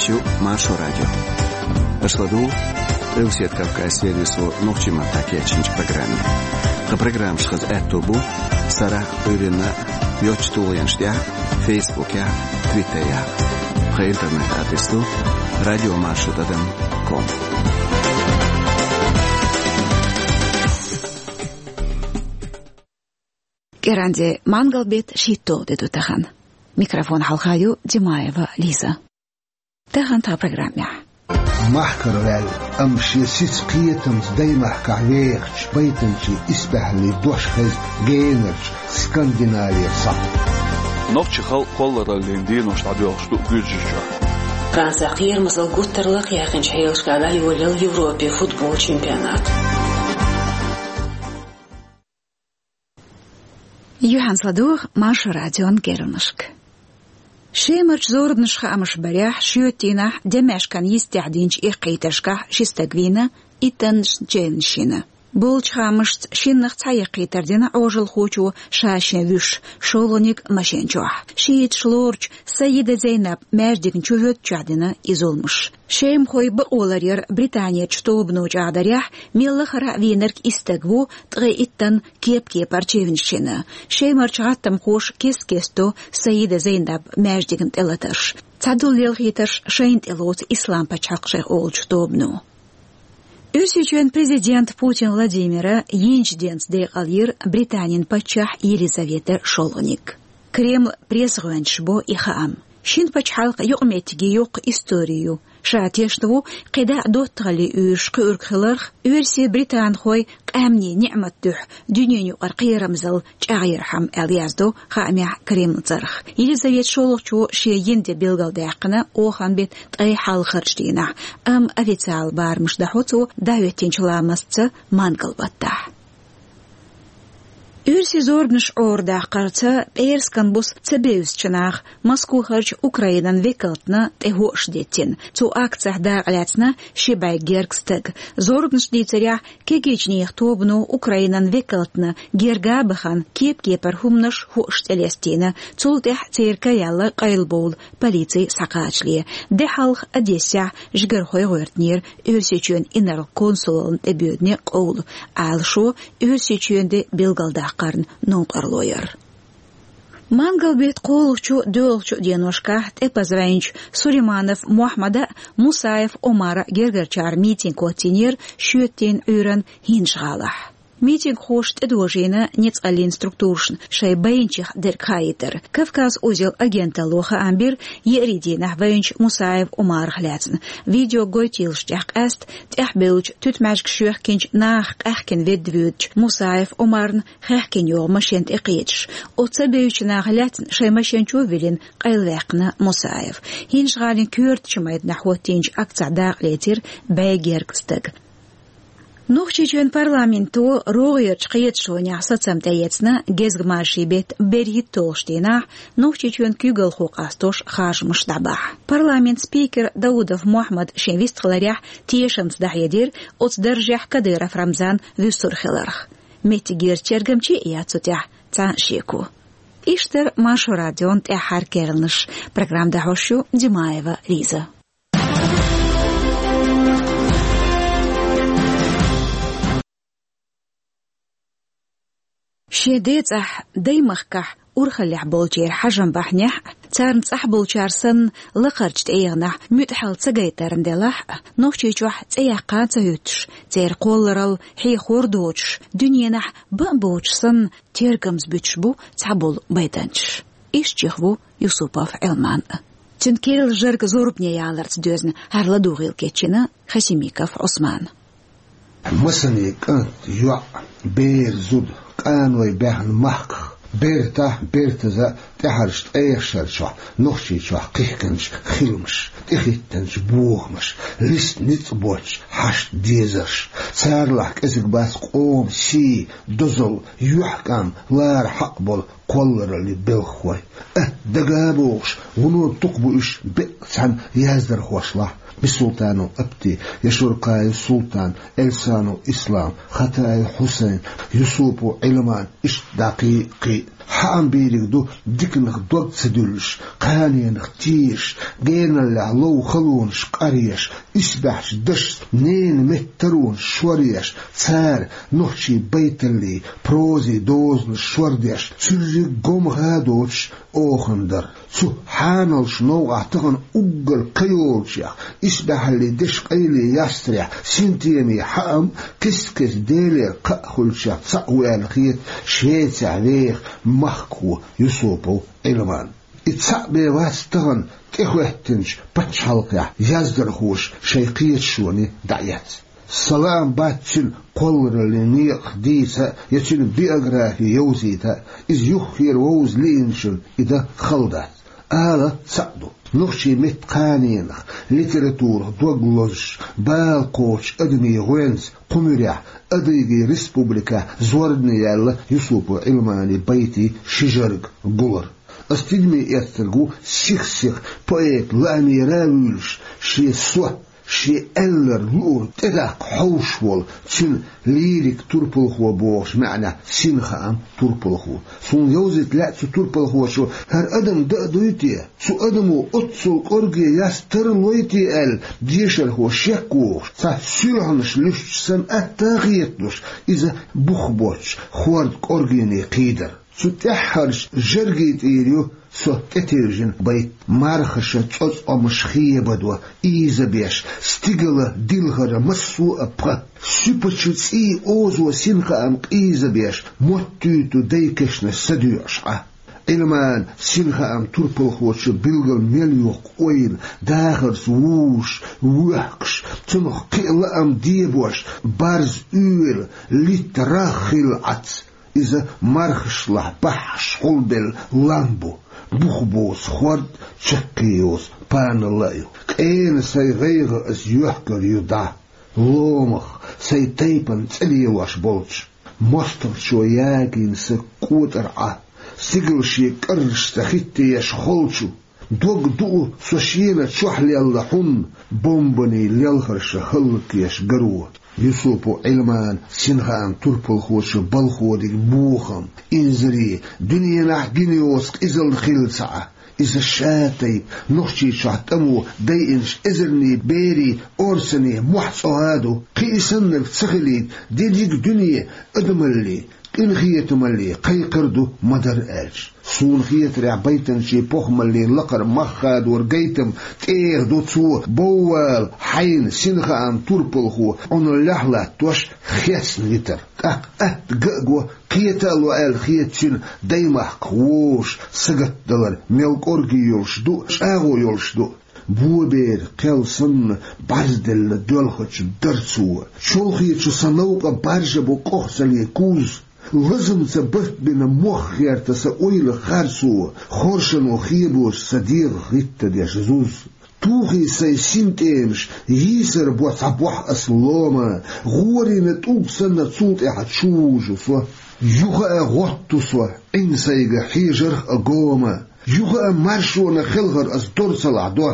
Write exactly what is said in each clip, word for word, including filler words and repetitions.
Шу Маршо радио. Аша ладугӀу Къилбаседа Кавказан сервисо нохчийн маттахь кечйинчу программе. Тхан программаш хаза аьтто бу сарахь а, Ӏуьйранна а йоцчу тулгӀенаш тӀехь а, Фейсбукехь а, Твиттерехь а. Тхан интернет-адрес ду радиомаршо тӀадам ком. КӀиранде мангал-беттан шийтталгӀа де ду тахана. Микрофон хьалха ю Димаева Лиза. Тахана тхан программехь. Махкара ваьлла, амма шен сица кхетамца даймахкахь вехачу байтанчийн исбаьхьаллин дош хеза генарчу Скандинавера схьа. Нохчийн халкъан кхоллараллин денош дӀадоьлхуш ду Гуьржийчохь. Францехь кхерамазалла гуттар а лакхаяьккхинчу хьелашкахь дӀайолаелла Европин футбол чемпионат. Юьхьанца ладугӀу Маршо радион керланашка. Шемарчу зорбанаш хаамаш барехь, шоьтан дийнахь Демешкан йистехь динчу эккхийтаршкахь ши стаг вийна, иттаннаш чевнаш йина. Болчу хаамашца, шиннах цхьа эккхийтар дина Ӏожалхочо ша-шен вуьйш, шолгӀаниг машен чохь. Шиъиташ лоручу Сайида Зейнаб маьждигна чу хӀоьттачохь дина и зуламаш. Шемахойн бакъо ларъяран Британерчу тобано чӀагӀдарехь, мел лахара а вийнарг и стаг ву, ткъе иттанна кеп-кепара чевнаш йина. Шемарчу гӀаттамхоша кест-кеста до Сайида Зейнаб маьждигна тӀелатарш. Цхьадолу лелхийтарш шайна тӀелоцу Ислам-пачхьалкх шайх олучу тобано. Оьрсийчоьнан президента Путин Владимира йинчу денца декъал йира Британин паччахь Елизавета шолгӀаниг. Кремлан пресс-гӀоьнчаша бо и хаам. Шина пачхьалкхан юкъаметтиге йоккха истори ю. Ша тешна ву кхидӀа а доттагӀаллин уьйраш кхуьург хиларх, оьрсийн-британхойн къаьмнийн ниӀматан дуьхьа дуьненан юкъара кхерамзалла чӀагӀъярхьама, аьлла яздо хаамехь Кремлан цӀарах. Елизавета шолгӀачо шен йина де билгалдаьккхина охан беттан ткъе хьалхарчу дийнахь, амма официалан барамаш дахьо цо дӀахӀоьттинчу ламастца мангал-баттахь. Оьрсийн зорбанаш Ӏорадаккхарца пӀераскан буса ца бевзачу наха Москвахарчу Украинан векалтна тӀе хӀоаш деттина. Цу акцехь дакъалаьцна ши бӀе гергга стаг. Зорбанаш дийцарехь, кегийчу нехан тобано Украинан векалтна герга а бахана, кеп-кепара хӀуманаш, хӀоаш тӀелестийна. Цул тӀаьхьа церан караелла къайлабовла полици схьакхачале. Де хьалха Одессехь жигархой гӀоьртинера Оьрсийчоьнан инарла консулаллина тӀебоьдане къовла, Ӏалашо Оьрсийчоьнан де билгалдаккхарна новкъарло яр. Мангал-беттан кхоалгӀачу, доьалгӀачу деношкахь тӀепаза вайначу Сулейманов Мохьмада а, Мусаев Омара а гергарчара митинг хӀоттийнера шоьтан дийнан Ӏуьйранна ХӀинжа-ГӀалахь. Митингхоша тӀедожийна ницкъаллин структурашна шайн байначех дерг хаийтар. «Кавказ-узел» агенталло хаам бира еарин дийнахь вайначу Мусаев Омарах лаьцна. Видео гойтийлаш тӀехь къаьста тӀаьхьабевллачу туьтмӀаьжгаш йоьхкинчу нахах къаьхкина ведда воьдучу Мусаев Омарна хаьхкина йогӀу машен тӀекхеташ. Оцу ца бевзачу наха лаьцна шайн машен чу а виллина, къайлаваьккхина Мусаев. ХӀинжа-ГӀалин коьртачу майданахь хӀоттийначу акцехь дакъалецира бӀе гергга стаг. Нохчийчоьнан парламенто рогӀерчу кхеташонехь сацам тӀеэцна гезгмашин беттан берхӀитталгӀачу дийнахь Нохчийчоьнан куьйгалхо къастош харжамаш дӀабахьа. Парламентан спикера Даудов Мохьмада шен вистхиларехь тешамца дӀахьедира оцу даржехь Кадыров Рамзан вуьсур хиларх. Меттигерчу тергамче а яц цу тӀехь цхьа а шеко. Иштта дара Маршо радион тӀаьххьара керланаш. Программа дӀахьош ю Димаева Лиза. Шен ден цӀахь, даймахкахь урхаллехь болчеран хьажам бахьанехь а, царна цӀахь болчара санна лакхарчу тӀегӀанехь муьтӀахьалла ца гайтарна делахь а, Нохчийчохь цӀе яккха а ца хӀуьттуш, церан кхолларалла хьехор доцуш, дуьненахь бан а боцуш санна, тергамза буьтуш бу цхьаболу байтанчаш. Иштта чиха ву Юсупов Ӏилман а. Цуьнан керла жарг зорбане яларца доьзна, хӀара ладугӀийла кечйина Хасимиков Ӏусмана. Масане кӀант, йоӀ, бер, зуда, къаной баьхна махках, бертахь, бертаза тӀаьхьарчу ткъех шарчохь Нохчийчохь кхихкинчу хиламаш, тӀехӀиттинчу бохамаш, листа ницкъ боцчу хьаштан дезарш, царалахь кӀезиг бац къоман сий, дозалла, юьхькӀам лара хьакъ болу кхоллараллин белхахой. Атта дага а богӀуш, вуно дукха бу уьш беккъа цхьана яздархошлахь: Бисултанов Апти, Яшуркаев Султан, Эльсанов Ислам, Хатаев Хьусайн, Юсупов Ӏилман, иштта дӀа кхин а, кхин а. ХьаӀам бийриг ду диканах дог ца дуьллуш, кханенах тешаш, геналлехь лов халонаш къаръеш, исбаьхьчу дашца ненан меттан таронаш шоръеш, цара нохчийн байталлий, прозий дозанаш шордеш, цуьрриг гомха а доцуш, охана дара. Цу хьаналчу новкъахь тахана уггар кхайолучех, исбаьхьаллин дешан къайле ястарехь, синтемийн хьаам кест-кеста Делера кхаъ хуьлучех цхьаъ ву аьлла хета Швецехь веха махкахо Юсупов Ӏилман. И цхьаъ бен вац тахана тӀехӀоьттинчу пачхьалкхехь яздархоша шайн кхеташоне дӀаэцна. Сан лаам бац цуьнан кхоллараллин некъах дийца а, я цуьнан биографи йовзийта а, иза юххера вовза лиъначунна и дан хала дац. Ала цхьаъ ду: нохчийн меттан кханенах, литературах дог лозуш, бала кхочучу адамийн гӀоьнца кху муьрехь Адыгийн республикехь зорбане яьлла Юсупов Ӏилманан байтийн ши жарг, гулар. Аса тидаме эцнарг ву сих-сиха поэтан лаамера а вуьйлуш, шен со, шен аьлларг луург тӀедаккха хьовш волу, цуьнан лирик турпалхо бохучу маьӀнехь синхаам турпалхо. Суна йовзийта лаьа цу турпалхочо: хӀара адам дан а дуй те? Цу адамо оццул кӀорге ястар а лой те аьлла, дешархо шек вохуш, цхьа суьлхьанаш луьстуш санна атта а хеталуш, иза бух боцчу хӀордан кӀоргене кхийдар. Цу тӀаьххьарчу жаргийн тӀера ю со тӀетевжина байт: мархаша цӀоцкъамаш хебадо ийзабеш, стигала дилхара массо а пха. Суьпачу цӀийн озо синхаам къийзабеш, моттуьйту дайн кешнаш са доьӀуш Ӏа. Ӏилманан синхаам турпалхочо билггал мел йоккху ойла, дахарца вужуш, воьхкуш, цунах кхин а лаам дебош, барз, уьйр, литта, рагӀ хилла Ӏац. Иза мархашлахь баххьаш хьулбелла лам бу, бух боцу хӀорд, чаккхе йоцу паналла а ю. Къена сайн гӀайгӀа ас йоьхкур ю дӀа, ломах, сайн тайпана цӀе лелош болчу. МостагӀчо ягийна сан кӀотӀар Ӏа, стигала шен кӀаррашца хӀиттаеш холчу. Дог дуу со шена чохь лелла хьунна, бомбанийн лелхарша хӀаллакъеш гаро. Юсупов Ӏилманан синхаам турпалхочо балхо диг бохам, инзаре, дуьненахь гина йоцу къизалла хилла ца Ӏа. Иза ша тайпа Нохчийчохь тӀамо дайинчу эзарнийн берийн орцане мохь цӀогӀа а ду, кхин и саннарг ца хилийта, дерриг а дуьне адамалле, къинхетамалле кхайкхар а ду ма-дарра аьлча. Суна хетарехь, байтанчийн похӀмаллин лакхара мах хадоран гайтам тӀеха ду цо боввала хьайна синхаам турпалхо Ӏуналлехь латтош хецна витар. ТӀаккха атта ган а го, кхета а ло аьлла хета цуьнан даймахках вовшах сагатдалар мел кӀорге йолуш ду, чӀагӀо йолуш ду. Боберан кхел санна бӀарзделла доьлхучу дарцо, чолхечу сан новкъа баржа бу къохцале куз. Лазамца барт бина мох гӀерта сан ойла харцо, хоршано хебош сан дегӀах гӀиттадеш зуз. Тухий сайн синтӀемаш, йийсар бо цхьа бохь ас лома, гӀорийна тӀулг санна цул тӀаьхьа чу вужу со. Юха а гӀотту со Ӏин сайга хьежарх а гома, юха а маршонан хелхар ас дор ца лахь до.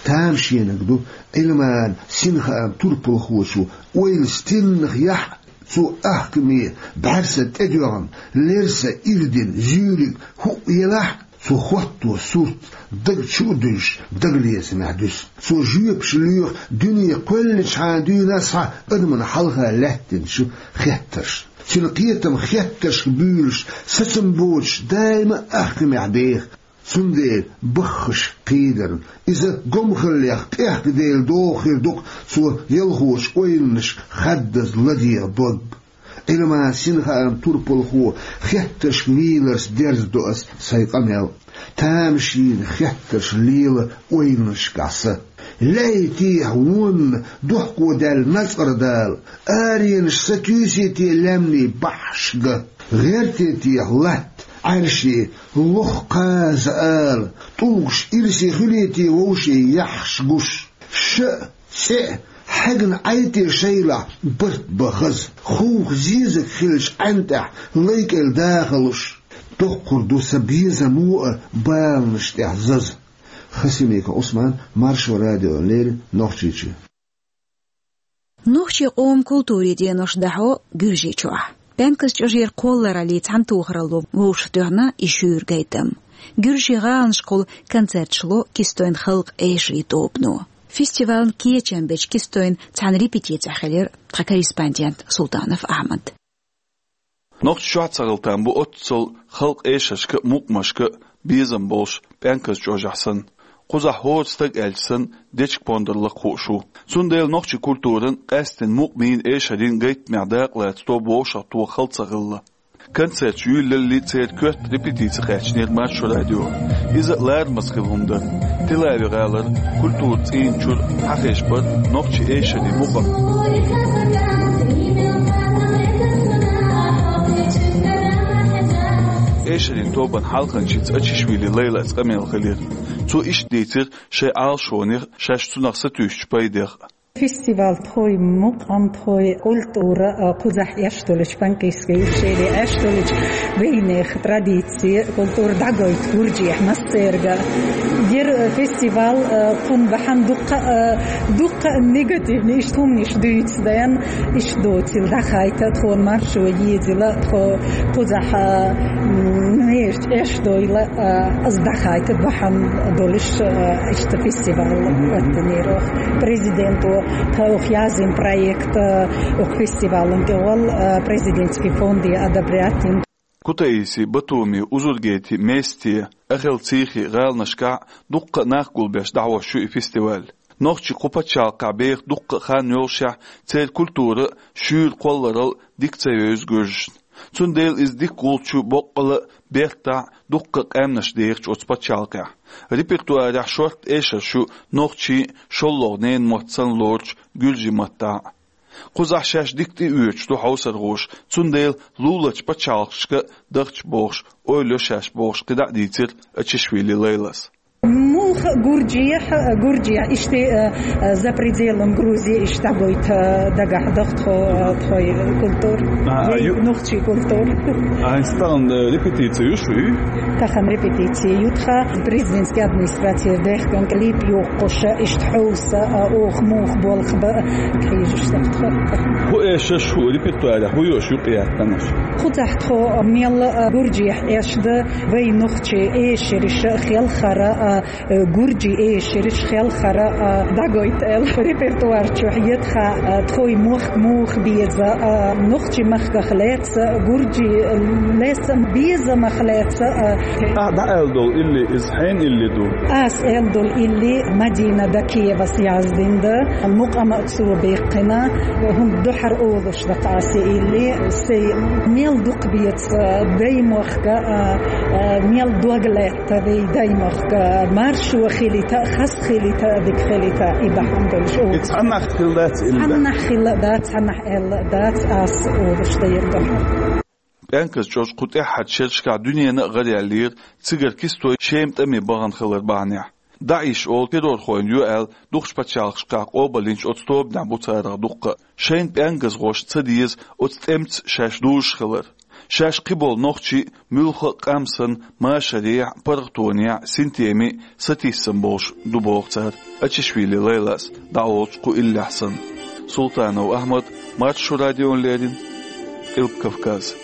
Тамашенаг ду Ӏилманан синхаам турпалхочо ойла стеннах яхь, цо ахкаме бӀаьрса тӀедоьгӀна, лерса ирдина зуьйриг хӀуъ елахь, цо хӀотто сурт даг чу а дуьллуш, дагалецамехь дуьсу. Цо жоьпаш лоьху дуьне кхоьллинчхьана дуьйна схьа адамна хьалха лаьттинчу хеттаршна. Цуьнан кхетам хеттаршка буьйлуш, сацам боцуш, даима а ахкамехь беха. Цундела баххаш кхийдарна, иза гомхаллех къехкаделла догӀу хир ду-кх цо ялхочу ойланашка хаддаза ладегӀа дог. Ӏилманан синхаам турпалхо хеттаршка вийларца дерзадо ас сайн къамел. Тамашийна хеттарш лела ойланашкахь сан. Лаьий техьа вонна дохко даьлла Нацкъара Дала, аренаш сатуьйсий те лаьмнийн баххьаш ган? ГӀертий техьа латта Ӏаьрше лох кхаза ала, тӀулгаш ирсе хуьлий те вовшийн яххьаш гуш? Ша а, цӀе а хьегна Ӏай те шайлахь барт бан хаза, хувха зезаг хилча Ӏаьнан тӀехь лай кӀел дахалуш? Доккхур ду сан безамо а баланаш тӀехь заза. Хасимиков Ӏусман, Маршо радиона леррина, Нохчийчоь. Нохчийн къоман культурин денош дӀахьо Гуьржийчохь. Пенкас чӀожера кхоллараллий цхьаьнатохаралло вовшахтоьхна и шуьйра гайтам. Гуьржийн гӀаланашкахула концерташ ло Кистойн халкъан эшарийн тобано. Фестивалан кечам беча Кистойн цхьана репетицехь хилира тхан корреспондент Султанов Ахьмад. Нохчий чохь ца хила там бу оццул халкъан эшаршка а, мукъамашка а безам болуш Пенкас чӀожехь санна. Кхузахь хӀора стаг аьлча санна, дечиг-пондар лакха хууш ву. Цундела нохчийн культуран, къаьсттина мукъамийн, эшарийн гайтамехь дакъалаца тоба вовшахтоха хала ца хилла. Концерташ юьйлаллий, церан коьрта репетици кхаьчнера Маршо радио. Иза а ларамаза хилла хӀума дара. Тель-Авив-гӀалара культуран цӀийнан чуьра хьахезаш бара нохчийн эшарийн мукъам. Эшарийн тобан хьалханчица Ачишвили Лайлас къамел хилира. Цо иштта дийцира шайн Ӏалашонех, шаьш цунах сатуьйсучу пайдех. Фестиваль тхоьй мукъам, тхоьй культура, а, кхузахь эшна долчу панкисские ущелья, эшна долчу вайнехан традиция, культура дӀагойту гуржехь массерга. Яра фестиваль, а, кхунна бахьана дуккха, а, дуккха а негативни иштта хӀуманаш дуьйцу дайна, иштта доцийла дӀахайта, тхуна Маршо езийла, тхо кхузахь, а, м, нешта эшна дойла, а, аса дӀахайта бахьана долуш, а, иштта фестиваль оттанера оха. Президенто тхайх язйина проект, а, оха фестивалан тӀехула, а, президентский фонде одобрять йина. Кутаиси, Батуми, Узургети, Мести, Ахел-Цийхи гӀаланашкахь дуккха а нах гулбеш дӀахьош ю и фестиваль. Нохчий кху пачхьалкхехь беха дуккха а хан йолушехь, церан культура, шуьйра кхолларалла дика ца евза гуьржашна. Цундела иза дика гӀулч ю боккъала а, бертахь а дуккха а къаьмнаш дехачу оцу пачхьалкхехь. Репертуарехь шортта эшарш ю нохчийн а, шолгӀа ненан мотт санна лоручу гуьржийн маттахь а. Кхузахь шаьш дика тӀеоьцуш ду хьовсархоша, цундела луларчу пачхьалкхашка а дахча бохуш, ойла йо шаьш бохуш, кхидӀа а дийцира Ачишвили Лайлас. Муха гуржехь, гуржехь, иштта, э, э, за пределом Грузии иштта дӀагойта, э, дагахь даха тхо, э, тхой культура. А, а, ю- Нохчий культура. А, хӀинца тахана, э, репетици ю шуьй? Тахана репетици ю тхан, президентский администраци дехкан клип йоккхуша, иштта хьовса, э, оха муха болх бан хьийзаш даха тхо. ХӀун эшарш, хӀун репертуарехь, хӀун йолуш ю къаьттанаш? Кхузахь тхо мел, э, гуржехь эшна ду, вай нохчий эшарша хелхара, э, э, гуржий эшарша хелхара, э, дӀагойта аьлла репертуар чохь ю тхан, э, тхой мохк муха беза, э, нохчийн махках лаьцна, гуржий лаьцна безамах лаьцна, э. Ахь дӀааьлла долу илли, иза хьенан илли ду? Ас аьлла долу илли Мадина Дакиевас яздина ду, мукъам а цо баьккхина, хӀунда дуьхьара олуш ду тхан ас и илли, сайн мел дукха беза, э, даймохк, э, э, мел дог лаьтта вай даймохк, э, маршо хилийта, хаза хилийта, дика хилийта, и бахьана долуш. И цхьаннахь хилла дац илли? Цхьаннахь хилла дац, цхьаннахь аьлла дац, ас олуш дайра дуьхьал. Пенкас чӀожа кху тӀаьххьарчу шерашкахь дуьненна а гӀараяьллера, цигара Кистой Шема тӀаме бахана хилар бахьанехь. ДАИШ олу террорхойн ю аьлла, дукхачу пачхьалкхашкахь къобалйинчу оцу тобанехь бу царах дуккха а. Шайна пенкасхошна ца деза оцу тӀемца шаьш дужуш хилар. Шаьш кхиболу нохчий а, муьлхха а къам санна, машарехь а, паргӀатонехь а, синтеме а сатийсам болуш ду, боху цара Ачишвили Лайлас дӀаолучу кху иллехь санна. Султанов Ахьмад, Маршо радиона леррина, Къилба Кавказ.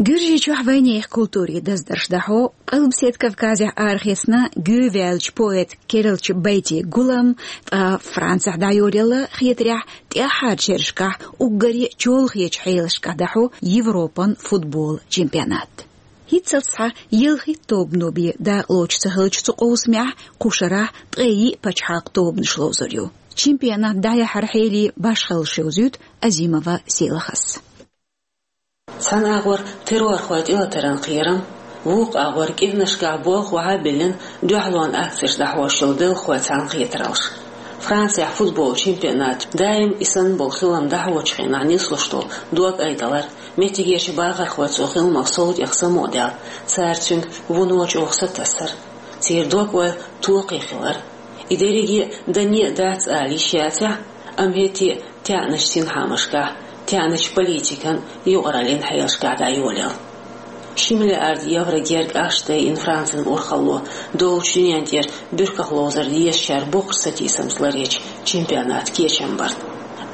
Гуьржийчохь вайнехан культурин даздарш дӀахьо, Къилбаседа Кавказехь арахецна гӀевттина поэт Кералча Байтин гулам, ткъа Францехь дӀайоръелла хетарехь, тӀаьххьарчу шерашкахь уггаре чолхечу хьелашкахь дӀахьо Европан футбол чемпионат. ХӀинццалц схьа ялхитта тобано бен дакъалоцуш ца хиллачу цу къовсамехь кху шарахь ткъе йиъ пачхьалкхан тобанаш ловзур ю. Чемпионат дӀаяхьаран хьелий башхаллаш йовзуьйту Азимова Селахас. Цхьана агӀор террорхойн тӀелатаран кхерам, вукху агӀор кӀиранашкахь болх охьа а биллина, дуьхьалонан акцеш дӀахьош йолу белхалой цхьаьнакхетараллаш. Францехь футбол чемпионат даим и санна болу хилам дӀахьочу хенахь нислуш долу дог айдалар, меттигерчу бахархой цу хиламах сов тӀех само а даьлла, цара цуьнга вуно чӀогӀа сатасар, церан дог-ойла токхе хилар. И дерриге а дане а дац ала йиш яцахь, амма хӀетте а таьӀначу синхьаамашкахь, таьӀначу политикан, юкъараллин хьелашкахь дӀайолаелла. Ши миллиард евро герга ахча дайина Францин урхалло доллучу дуьнен тӀера буьрках ловзар дезачара боккхачу сатийсамца ларъечу чемпионатан кечам барна.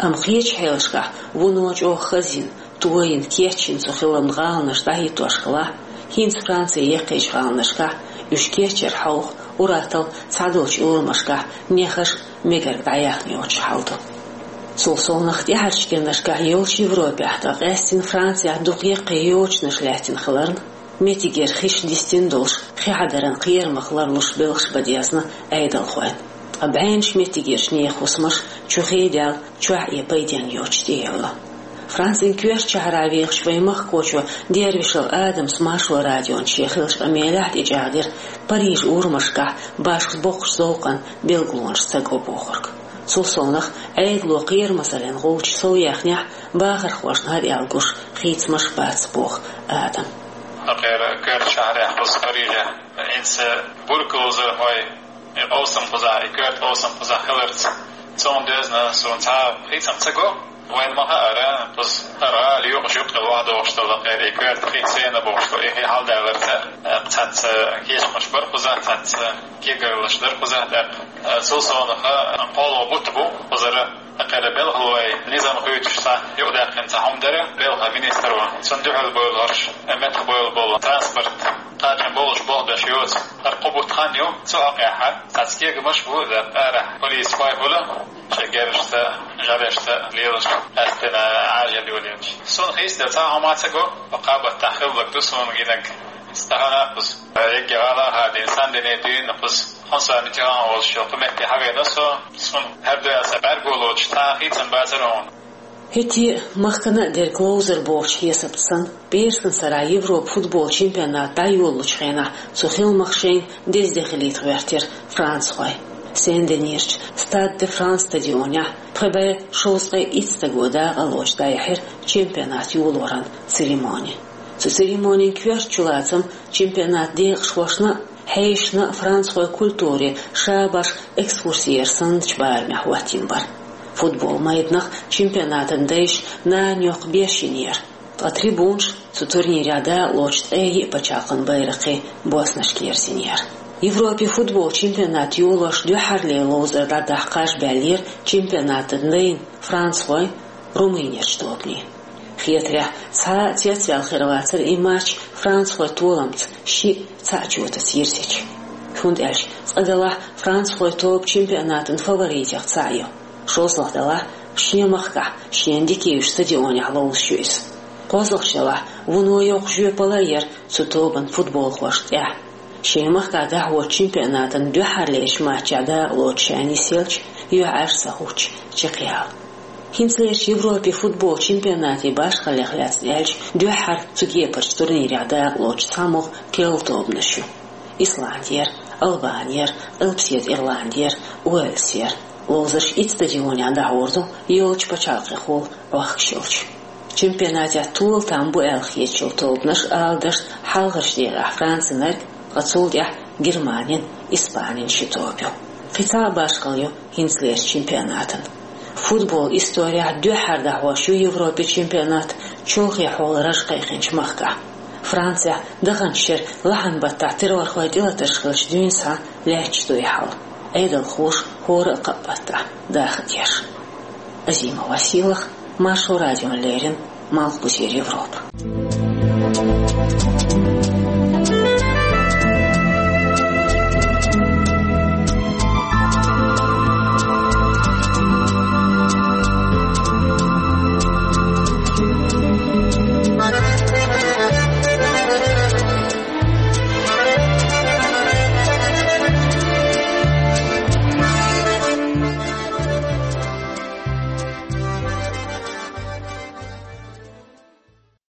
Амма кхечу хьелашкахь вуно чӀогӀа хазйина, тойина, кечйина цу хиламна гӀаланаш дӀахӀиттош хилахь, хӀинца Францин яккхийчу гӀаланашкахь уьш кечъяран хьовха, ур-атталла цхьадолчу урамашкахь нехаш а мегарг дӀаяьхна йоцуш хьал ду. Цул совнаха тӀаьхьарчу кӀиранашкахь йолчу Европехь, ткъа къаьстина Францехь дукха яккхий йочанаш лаьттина хиларна, меттигера хиш дистина долуш, хи хьадаран кхерамах ларлуш белхаш бан дезна Ӏедалхойн. Ткъа бӀеннаш меттигерчу нехан хӀусамаш чу хи даьлла, чохь а пайденна йоцуш тӀеевлла. Францин коьртачу шахьарахь вехачу вайн махкахочо Дервишев Адамас Маршо радион шен хиллачу къамелехь тӀечӀагӀдира Парижан урамашкахь башха боккхачу зовкъан билгалонаш ца го бохург. Цул совнаха, Ӏедало кхерамазаллин гӀулчаш сов яьхнехь, бахархошна хӀара аьлла гуш хийцамаш бац, боху Адам. Кхера коьртачу шахьарехь, кхуза Парижехь, хӀинца буьркаловзархой и къовсам кхузахь, и коьрта къовсам кхузахь хиларца, цунна доьзна суна цхьа а хийцам ца го. Вайна ма хаъара, кхуза хӀара гӀала юкъа-юкъа вахьа дохуш долу, кхера и коьрта хи сенна бохуш долу, и хи хьалдаларца, э, цхьацца кечамаш бара кхузахь, цхьацца кегарлаш дара кхузахь тӀаккха. Э, цул совнаха, кхоалгӀа бутт бу кхузара, кхера белхалой низам хуьйцуш цхьа юкъадаьккхина цхьа хӀума дара, белхан министр ву. Цунна дуьхьал бевлла хӀорш, э, меттахбевлла болу транспорт кхачам болуш болх беш йоцу. ХӀара кхо бутт хан ю, цу хьокъехь цхьацца кегамаш бу, э, арахь полисхой хуьлу. Шайн герзашца, жӀаьлешца лелаш, къаьсттина Ӏажал йолаелча. Суна хийцаделла цхьа а хӀума ца го, кхаа баттахь хилларг ду суна гинарг. Стахана кхуза, э, егги гӀала а хадийна, Сен-Дени дуьйна кхуза, Франсуа Миттеран олуш йолу кху метте хьавеана со, суна хӀара дуьхьал сан бӀаьрго лоцуш цхьа а хийцам бацара хьуна. ХӀетте а махкана а дерг ловзар бохучу хьесапца санна, пӀераскан сарахь Европан футбол чемпионат дӀайолалучу хенахь цу хиламах шайна деза де хилийта гӀоьртира францхой. Сен-Денерчу Стад де Франс стадионехь пхи бӀе шовзткъе итт стага дакъалоцуш дӀаяьхьира чемпионат йолоран церемони. Цу церемонин коьрта чулацам чемпионат декъашхошна а, хьешашна а францхойн культуре шабаш экскурси яр санначу барамехь хӀоттийна бара. Футбол майданах чемпионатан дайша нана йоккха беш йинера, ткъа трибунаш цу турнирехь дакъалоцуш ткъе йиъ пачхьалкхан байракхий боснашка ерзийнера. Европан футбол чемпионат йолош дуьххьарлера ловзар дӀадахьа кхаж баьллера чемпионатан дайна францхойн, Румынерчу тобанийн. Хетарехь, цхьа а цецваьлла хир вацара и матч францхойн толамца шиъ цхьаъ чотаца йирзича. ХӀунда аьлча, цкъа делахь, францхойн тоба чемпионатан фаворитех цхьаъ ю. ШолгӀа делахь, шен махкахь, шена дика йолчу стадионехь ловзуш ю иза. КхозлагӀчу делахь, вуно йоккха жоьпалла а яра цу тобан футболхошна тӀехь. Шен махкахь дӀахьочу чемпионатан дуьххьарлерчу матчехь дакъалоцуш ша нисъелча, юьхьӀаьржа ца хӀуттуш, чекхъяла. ХӀинцалерчу Европан футбол чемпионатан башхаллех лаьцна аьлча, дуьххьара цу кепарчу турнирехь дакъалоцуш цхьа могӀа керла тобанаш ю: Исландера, Албанера, Къилбаседа Ирландера, Уэльсера. Ловзарш итт стадионехь дӀахьур ду, йолчу пачхьалкхехула Ӏохкуш йолчу. Чемпионатехь тола там бу аьлла хеташ йолу тобанаш, ала дашна, хьалхарчу декъехь Францинарг, ткъа цул тӀаьхьа Германин, Испанин ши тоба ю. Кхин цхьа а башхалла ю хӀинцалерчу чемпионатан. Футбол историяхь дуьххьара дӀахьош ю Европан чемпионат чолхе хьолан раж кхайкхинчу махкахь. Францехь даханчу шеран лахьан баттахь террорхойн тӀелатарш хиллачу дуьйна схьа лаьтташ ду и хьал, Ӏедалхоша хӀора а кхаа баттахь даха деш. Азима Василах, Маршо радиона леррина, Малхбузера Европа.